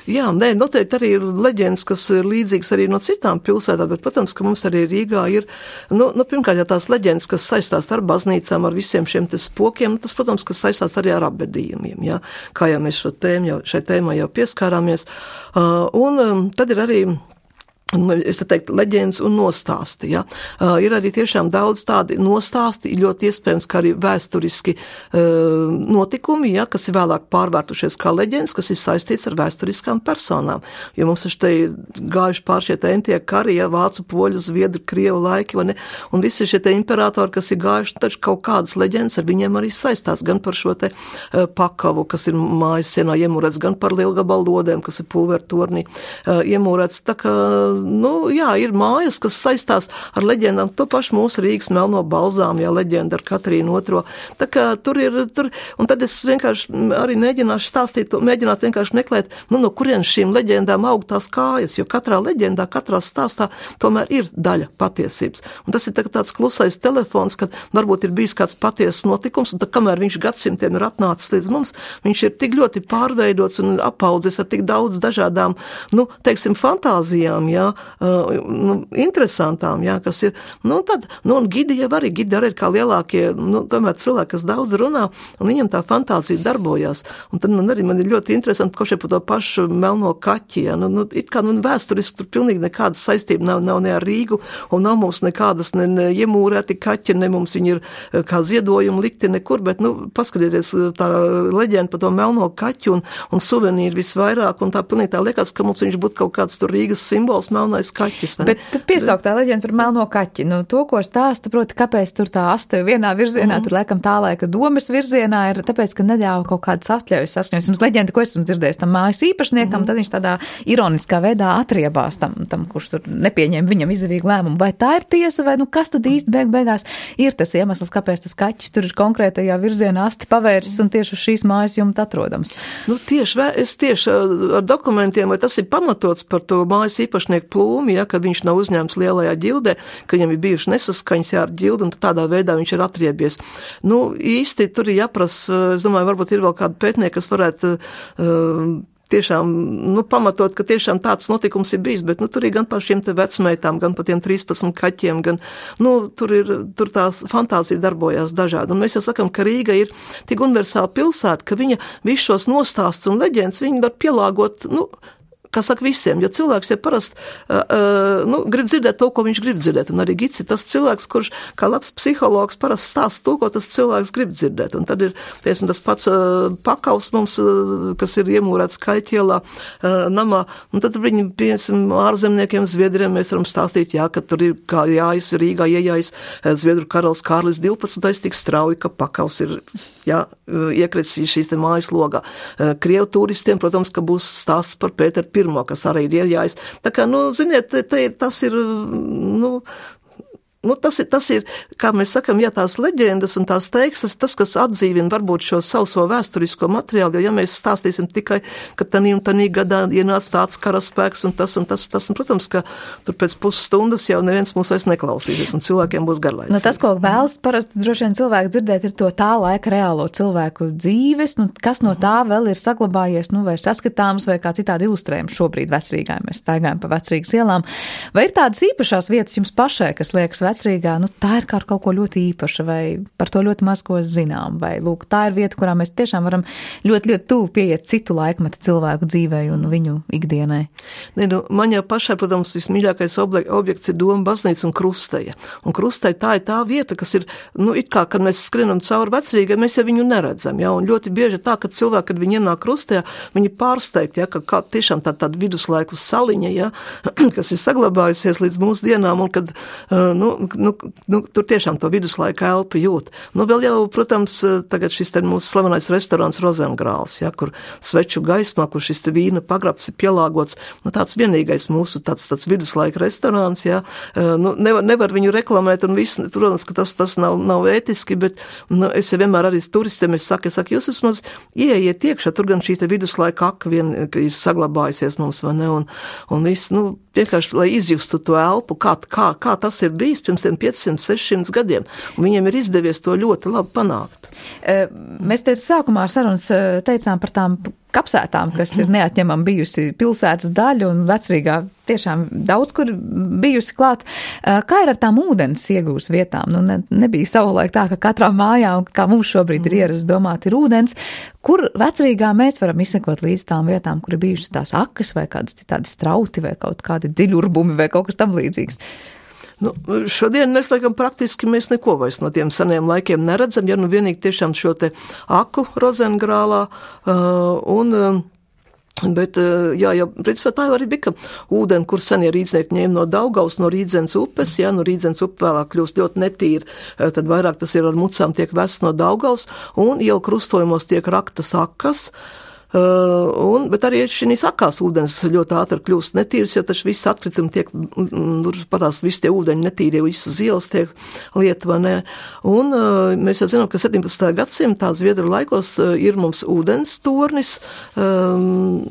Jā, nē, noteikti arī ir leģendas, kas ir līdzīgas arī no citām pilsētām, bet, protams, ka mums arī Rīgā ir, nu, nu pirmkārt, ja tās leģendas, kas saistās ar baznīcām, ar visiem šiem te spokiem, tas, protams, kas saistās arī ar apbedījumiem, jā, kā jau mēs šo tēmu, jau, šai tēmai jau pieskārāmies, uh, un um, tad ir arī es teiktu, leģendas un nostāsti. Ja? Uh, ir arī tiešām daudz tādi nostāsti, ļoti iespējams, ka arī vēsturiski uh, notikumi, ja, kas ir vēlāk pārvērtušies kā leģendas, kas ir saistīts ar vēsturiskām personām. Jo mums ir te gājuši pār šie te entie kari, ja, vācu, poļu, zviedru, krievu laiki, vai ne? Un visi šie te imperatori, kas ir gājuši, taču kaut kādas leģendas ar viņiem arī saistās, gan par šo te uh, pakavu, kas ir mājas sienā iemūrēts, gan par lielgabalu lodēm, kas ir pulvertornī uh, iemūrēts. Tā kā Nu, jā, ir mājas, kas saistās ar leģendām, to pašu mūsu Rīgas melno balzām, jā, leģenda ar Katrīnu otro. Tā kā tur ir, tur, un tad es vienkārši arī mēģināšu stāstīt, mēģināt vienkārši meklēt, nu, no kurienes šīm leģendām aug tās kājas, jo katrā leģendā, katrā stāstā tomēr ir daļa patiesības. Un tas ir tāds klusais telefons, kad varbūt ir bijis kāds patiesas notikums, un tad, kamēr viņš gadsimtiem ir atnācis līdz mums, viņš ir tik ļoti pārveidots un apaudzis ar tik daudz dažādām, nu, teiksim, fantāzijām, jā, Uh, nu, interesantām, jā, kas ir, nu, tad, nu, un gidi jau arī, gidi arī ir kā lielākie, nu, tomēr cilvēki, kas daudz runā, un viņam tā fantāzija darbojās, un tad man arī, man ir ļoti interesanti, ko šeit par to pašu melno kaķi, jā, nu, nu, it kā, nu, vēsturiski tur pilnīgi nekādas saistība nav, nav ne ar Rīgu, un nav mums nekādas ne, ne iemūrēti kaķi, ne mums viņi ir kā ziedojumi likti nekur, bet, nu, paskatieties tā leģenda par to melno kaķi un, un suvenīri visvairāk, un tā pilnīgi tā liekas, ka mums viņš būtu kaut kāds tur Rīgas simbols, melnais kaķis. Ne? Bet, bet piesauktā leģenda par melno kaķi, nu, to, ko stāsta, proti, kāpēc tur tā aste vienā virzienā, mm. tur laikam tā laika domas virzienā ir, tāpēc, ka neļāva kaut kādas atļaujas saskaņojas. Mums leģenda, ko esam dzirdējis tam mājas īpašniekam, mm. tad viņš tādā ironiskā veidā atriebās tam, tam, kurš tur nepieņem viņam izdevīgu lēmumu. Vai tā ir tiesa, vai nu kas tad īsti beig beigās ir tas iemesls, kāpēc tas kaķis tur ir konkrētajā virzienā asti pavērsis un tieši uz šīs mājas jumta atrodams? Nu, tieši, es tieši ar dokumentiem, vai tas ir pamatots par to mājas īpašnieku plūmi, ja, kad viņš nav uzņēmts lielajā ģildē, ka viņam ir bijuši nesaskaņas jā, ar ģildu, un tādā veidā viņš ir atriebies. Nu, īsti tur ir jāprasa, es domāju, varbūt ir vēl kādi pētnieki, kas varētu uh, tiešām, nu, pamatot, ka tiešām tāds notikums ir bijis, bet, nu, tur ir gan par šiem te vecmeitām, gan par tiem trīspadsmit kaķiem, gan, nu, tur ir, tur tās fantāzija darbojās dažādi. Un mēs jau sakam, ka Rīga ir tik universāla pilsēta, ka viņa visus šos nostāsts un leģendas, viņi var pielāgot, nu, kā saka visiem, jo cilvēks jau parasti uh, uh, nu, grib dzirdēt to, ko viņš grib dzirdēt, un arī Gits ir tas cilvēks, kurš kā labs psihologs parasti stāsta to, ko tas cilvēks grib dzirdēt, un tad ir, piemēram, tas pats uh, pakaus mums, uh, kas ir iemūrēts Kaļķielā uh, namā, un tad viņi, piemēram, ārzemniekiem, zviedriem mēs varam stāstīt, jā, ka tur ir kā jājas Rīgā iejājas uh, zviedru karalis Kārlis divpadsmitais tik strauji, ka pakaus ir, jā, iekritis šīs te mājas logā. Uh, Krievu turistiem, protams, ka būs stāsts par Pēteru pirmo, kas arī ir iejājis. Tā kā, nu, ziniet, te, te, tas ir, nu, Nu, tas, ir, tas ir, kā mēs sakam, ja tās leģendas un tās tekstas, tas, kas atdzīvina varbūt šo sauso vēsturisko materiālu, jo ja mēs stāstīsim tikai, ka tanī un tanī gadā ienāca tāds karaspēks un tas un tas, tas, un, protams, ka tur pēc pusstundas jau neviens mūs vairs neklausīsies un cilvēkiem būs garlaicīgi. Nu, tas, ko vēlas parasti droši vien cilvēki dzirdēt, ir to tā laika reālo cilvēku dzīves, nu, kas no tā vēl ir saglabājies, nu, vai saskatāms, vai kā citādi ilustrējums šobrīd Vecrīgā, mēs staigājam pa Vecrīgas ielām. Vai ir tādas īpašās vietas jums pašai, kas liekas vecrīgā, nu, tā ir kā ar kaut ko ļoti īpaša, vai par to ļoti maz ko zinām, vai, lūk, tā ir vieta, kurā mēs tiešām varam ļoti, ļoti tuvu pieiet citu laikmetu cilvēku dzīvei un viņu ikdienai. Ne, nu, man jau pašai, protams, vismīļākais objekts ir Doma baznīca un Krusteja. Un Krusteja tā ir tā vieta, kas ir, nu, it kā, kad mēs skrienam cauri vecrīgai, mēs jau viņu neredzam, ja, un ļoti bieži tā, kad cilvēki, kad viņi ienāk Krustejā, viņi pārsteigti, ja, ka kā tiešām tā, tāda viduslaiku saliņa, ja, kas ir saglabājusies līdz mūsu dienām, un kad, nu, nu, nu, tur tiešām to viduslaika elpu jūt. Nu, vēl jau, protams, tagad šis te mūsu slavenais restorāns Rozengrāls, ja, kur sveču gaismā, kur šis te vīna pagrabs ir pielāgots, nu, tāds vienīgais mūsu tāds, tāds viduslaika restorāns, ja, nu, nevar, nevar viņu reklamēt, un viss, protams, ka tas, tas nav, nav ētiski, bet, nu, es jau vienmēr arī turistiem, es saku, es saku, jūs vismaz ieiet iekšā, tur gan šī te viduslaika aka vien ir saglabājusies mums, vai ne, un, un viss, nu, vienkārši, lai izjustu to elpu, kā, kā, kā tas ir bijis pirms tiem piecsimt, sešsimt gadiem, un viņiem ir izdevies to ļoti labi panākt. Mēs te sākumā ar sarunas teicām par tām kapsētām, kas ir neatņemama bijusi pilsētas daļa un vecrīgā tiešām daudz, kur bijusi klāt. Kā ir ar tām ūdens iegūs vietām? Nu, ne, nebija savulaik tā, ka katrā mājā, un kā mums šobrīd ir ierasts domāt, ir ūdens. Kur vecrīgā mēs varam izsekot līdz tām vietām, kur ir bijušas tās akas vai kādas citādi strauti vai kaut kādi dziļurbumi vai kaut kas tam līdzīgs? Nu, šodien mēs, laikam, praktiski mēs neko vairs no tiem seniem laikiem neredzam, ja nu vienīgi tiešām šo te aku Rozengrālā uh, un... Uh, Bet, jā, jā, principā tā jau arī bija, ka ūdeni, kur senie rīdznieki ņēma no Daugavas, no Rīdzenes upes, jā, no Rīdzenes upe vēlāk kļūst ļoti netīri, tad vairāk tas ir ar mucām tiek vests no Daugavas, un ielu krustojumos tiek raktas akas, Uh, un, bet arī šīs akās ūdens ļoti ātri kļūst netīrs, jo taču visi atkritumi tiek, tur patās visi tie ūdeņi netīrie, visas ielas tiek lietva, ne. Un uh, mēs jau zinām, ka septiņpadsmitajā gadsimtā Zviedru laikos uh, ir mums ūdens tornis, um,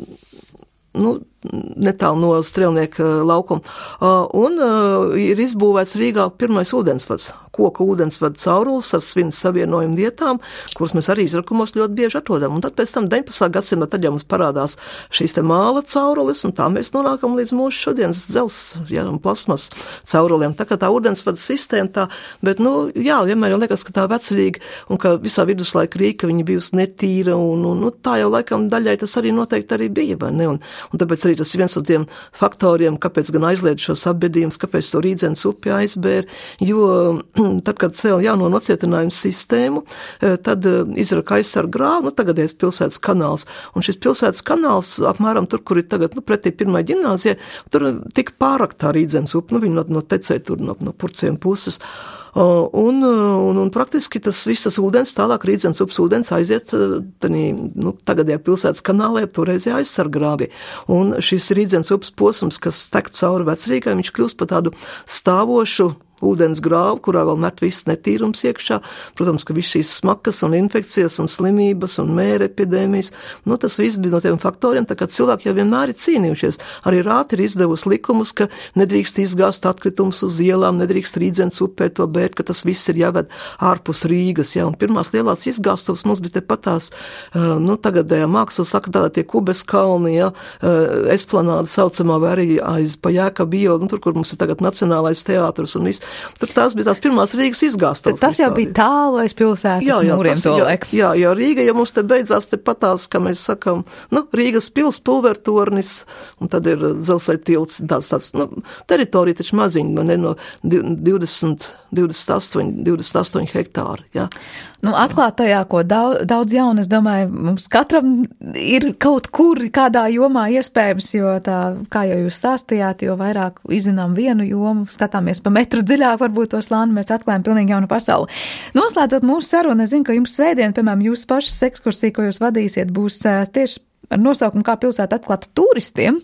nu, netālu no Strelnieka laukuma, uh, un uh, ir izbūvēts Rīgā pirmais ūdensvads, koka ūdensvada caurulis ar svinu savienojumu vietām, kuras mēs arī izrakumos ļoti bieži atrodam. Un tad pēc tam deviņpadsmitā gadsimtā tad jau mums parādās šīs te māla caurulis, un tā mēs nonākam līdz mūsu šodienas dzels, jā, un plasmas cauruliem. Tā kā tā ūdensvada sistēma tā, bet, nu, jā, vienmēr jau liekas, ka tā vecrīga, un ka visā viduslaika Rīga, viņa bijusi netīra, un, un, nu, tā jau laikam daļai tas arī noteikti arī bija, vai ne? Un, un tāpēc arī tas ir viens no tiem faktoriem, kāpēc gan aizliedz šos apbedījumus, kāpēc to Rīdzenes upi aizbēr, jo tad, kad cēla jauno nocietinājumu sistēmu, tad izraka aizsargu grāvu, nu, tagadējais pilsētas kanāls. Un šis pilsētas kanāls, apmēram tur, kur ir tagad, nu, pretī pirmai ģimnāzijai, tur tika pāraktā Rīdzenes upi, nu, viņi no, no tecēja tur no, no Purciem puses. Un, un, un praktiski tas visas ūdens, tālāk Rīdzenes upes ūdens aiziet tanī, nu, tagadējā pilsētas kanālē, toreizajā aizsargrāvī. Un šis Rīdzenes upes posms, kas tek cauri Vecrīgai, viņš kļūst par tādu stāvošu ūdens grāvu, kurā vēl met viss netīrums iekšā. Protams, ka viss šīs smakas un infekcijas un slimības un mēra epidēmijas, nu, tas viss bija no tiem faktoriem, tā kā cilvēki jau vienmēr ir cīnījušies. Arī Rāti ir izdevusi likumus, ka nedrīkst izgāzt atkritumus uz ielām, nedrīkst Rīdzenes upē to bērt, ka tas viss ir jāved ārpus Rīgas, jā, un pirmās lielās izgāstuvas mums bija tepatās, nu, tagadējā mākslas saka, tādā tie Kubes kalni, jā, esplanāda saucamā, vai arī aiz pa Jēkabu ielu, nu, tur, kur mums ir tagad Nacionālais teātris un viss. Tur tās bija tās pirmās Rīgas izgāstas. Tas jau bija tālu aiz pilsētas jā, jā, mūriem tas, to jā, laiku. Jā, jā, Rīga, ja mums te beidzās te patās, kā mēs sakam, nu, Rīgas pils, pulvertornis, un tad ir dzelzceļa tilts, tāds, tāds, nu, teritorija taču maziņa, ne, no divdesmit, divdesmit astoņi, divdesmit astoņi hektāri, jā. Nu, atklāt tajā, ko daudz, daudz jaunu, es domāju, mums katram ir kaut kur kādā jomā iespējams, jo tā, kā jau jūs stāstījāt, jo vairāk izzinām vienu jomu, skatāmies pa metru dziļāk, varbūt to slāni, mēs atklājam pilnīgi jaunu pasauli. Noslēdzot mūsu sarunu, es zinu, ka jums svētdien, piemēram, jūsu pašas ekskursija, ko jūs vadīsiet, būs tieši ar nosaukumu, kā pilsēta atklāta turistiem.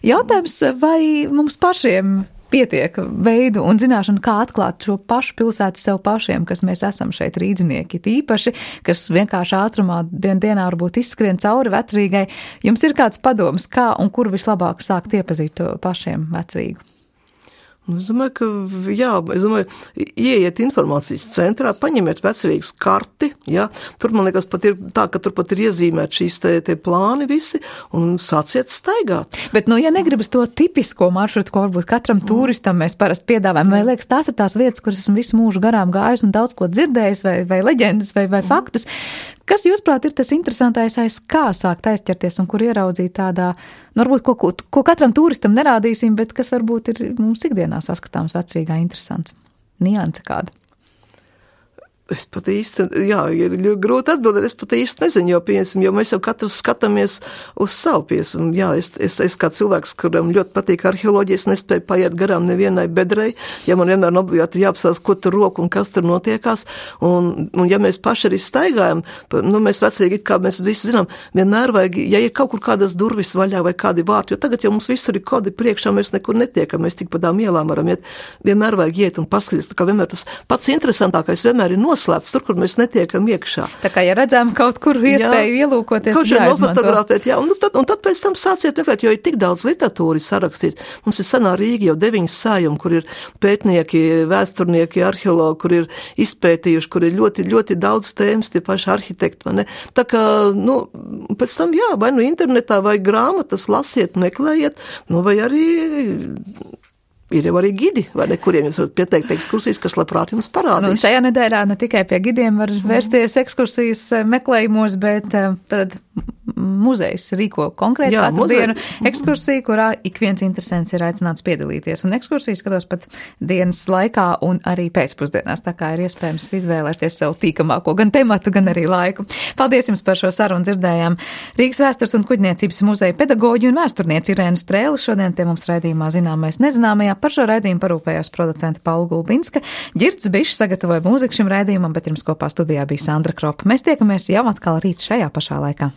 Jautājums, vai mums pašiem pietiek veidu un zināšanu, kā atklāt šo pašu pilsētu sev pašiem, kas mēs esam šeit rīdzinieki, tīpaši, kas vienkārši ātrumā dien dienā varbūt izskrien cauri Vecrīgai. Jums ir kāds padoms, kā un kur vislabāk sākt iepazīt to pašiem Vecrīgu? Es domāju, ka, jā, es domāju, ieiet informācijas centrā, paņemiet Vecrīgas karti, jā, tur, man liekas, pat ir tā, ka tur pat ir iezīmēt šīs te, te plāni visi, un sāciet staigāt. Bet, nu, ja negribas to tipisko maršrutu, ko varbūt katram turistam mēs parasti piedāvājam, vai liekas, tās ir tās vietas, kuras esmu visu mūžu garām gājus un daudz ko dzirdējis, vai, vai leģendas, vai, vai faktus, kas, jūsuprāt, ir tas interesantais, aiz kā sākt aizķerties un kur ieraudzīt tādā, nu, varbūt, ko, ko, ko katram turistam nerādīsim, bet kas varbūt ir mums ikdienā saskatāms Vecrīgā interesants? Nianse kāda? Es pat īsti, jā, ir grūti atbildēt, es pat īsti nezinu, jo, piemēram, jo mēs jau katrs skatāmies uz savu, piemēram, jā, es, es, es kā cilvēks, kuram ļoti patīk arheoloģija, es nespēju paiet garām nevienai bedrei, ja man vienmēr obligāti jāapsās, ko tur roku un kas tur notiekās, un, un ja mēs paši arī staigājam, nu, mēs Vecrīgi, kā mēs visi zinām, vienmēr vajag, ja ir kaut kur kādas durvis vaļā vai kādi vārti, jo tagad jau mums visur ir kodi priekšā, mēs nekur netiekam, mēs tik pa tām ielām varam iet, vienmēr vajag iet un paskatīties, tā kā vienmēr tas pats interesantākais vienmēr ir nos slēpts, tur, kur mēs netiekam iekšā. Tā kā, ja redzam kaut kur iespēju jā, ielūkoties, kaut kā nofotografēt, jā, un tad, un tad pēc tam sāciet meklēt, jo ir tik daudz literatūras sarakstīt. Mums ir senā Rīga jau deviņas sājumi, kur ir pētnieki, vēsturnieki, arheologi, kur ir izpētījuši, kur ir ļoti, ļoti daudz tēmas, tie paši arhitekti, vai ne? Tā kā, nu, pēc tam, jā, vai nu internetā, vai grāmatas lasiet, meklējiet, nu, vai arī ir jau arī gidi, vai ne, kuriem jūs varat pieteikt ekskursijas, kas labprāt jums parādīs. Nu, šajā nedēļā ne tikai pie gidiem var vērsties ekskursijas meklējumos, bet tad muzejs rīko konkrēti Jā, katru muzeja. dienu ekskursiju, kurā ik viens interesants ir aicināts piedalīties. Un ekskursijas skatos pat dienas laikā un arī pēcpusdienās, tā kā ir iespējams izvēlēties sev tīkamāko gan tematu, gan arī laiku. Paldies jums par šo sarunu, dzirdējām Rīgas vēstures un kuģniecības muzeja pedagoģi un vēsturnieci Irēnu Strēli. Šodien pie mums raidījumā Zināmais nezināmajā. Par šo raidījumu parūpējās producente Paula Gulbinska. Ģirds Bišs sagatavoja mūziku šim raidījumam, bet jums kopā studijā bija Sandra Kropa. Mēs tiekamies jau atkal rīt šajā pašā laikā.